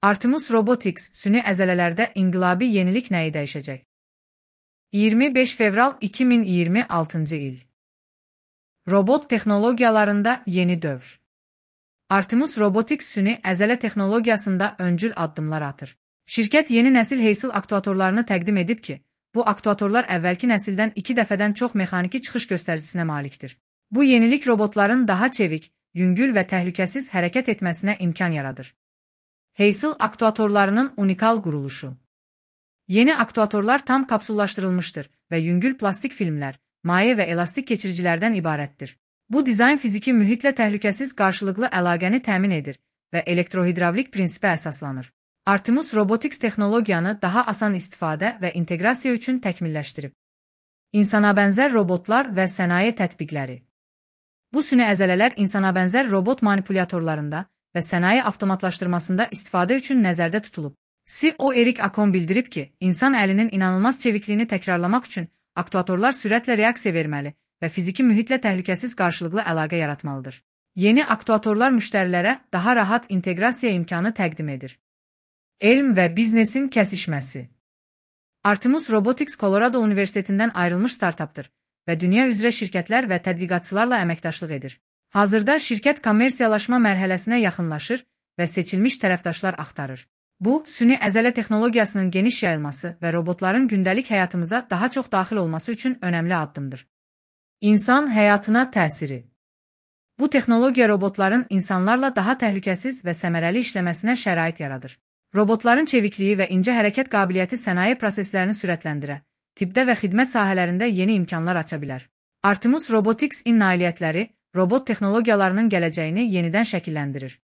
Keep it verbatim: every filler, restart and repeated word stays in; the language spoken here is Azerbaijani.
Artemis Robotics süni əzələlərdə inqilabi yenilik nəyi dəyişəcək? iyirmi beş fevral iki min iyirmi altıncı il. Robot texnologiyalarında yeni dövr. Artemis Robotics süni əzələ texnologiyasında öncül addımlar atır. Şirkət yeni nəsil Heysil aktuatorlarını təqdim edib ki, bu aktuatorlar əvvəlki nəsildən iki dəfədən çox mexaniki çıxış göstəricisine malikdir. Bu yenilik robotların daha çevik, yüngül və təhlükəsiz hərəkət etməsinə imkan yaradır. Heysil aktuatorlarının unikal quruluşu. Yeni aktuatorlar tam kapsullaşdırılmışdır və yüngül plastik filmlər, maye və elastik keçiricilərdən ibarətdir. Bu dizayn fiziki mühitlə təhlükəsiz qarşılıqlı əlaqəni təmin edir və elektrohidravlik prinsipə əsaslanır. Artemis Robotics texnologiyanı daha asan istifadə və inteqrasiya üçün təkmilləşdirib. İnsanabənzər robotlar və sənaye tətbiqləri. Bu süni əzələlər insanabənzər robot manipulyatorlarında və sənaye avtomatlaşdırmasında istifadə üçün nəzərdə tutulub. C E O Erik Akon bildirib ki, insan əlinin inanılmaz çevikliyini təkrarlamaq üçün aktuatorlar sürətlə reaksiya verməli və fiziki mühitlə təhlükəsiz qarşılıqlı əlaqə yaratmalıdır. Yeni aktuatorlar müştərilərə daha rahat inteqrasiya imkanı təqdim edir. Elm və biznesin kəsişməsi. Artemis Robotics Colorado Universitetindən ayrılmış startapdır və dünya üzrə şirkətlər və tədqiqatçılarla əməkdaşlıq edir. Hazırda şirkət kommersiyalaşma mərhələsinə yaxınlaşır və seçilmiş tərəfdaşlar axtarır. Bu, süni əzələ texnologiyasının geniş yayılması və robotların gündəlik həyatımıza daha çox daxil olması üçün önəmli addımdır. İnsan həyatına təsiri. Bu texnologiya robotların insanlarla daha təhlükəsiz və səmərəli işləməsinə şərait yaradır. Robotların çevikliyi və incə hərəkət qabiliyyəti sənaye proseslərini sürətləndirə, tibbdə və xidmət sahələrində yeni imkanlar aça bilər. Artemis Robotics-in nailiyyətləri robot texnologiyalarının gələcəyini yenidən şəkilləndirir.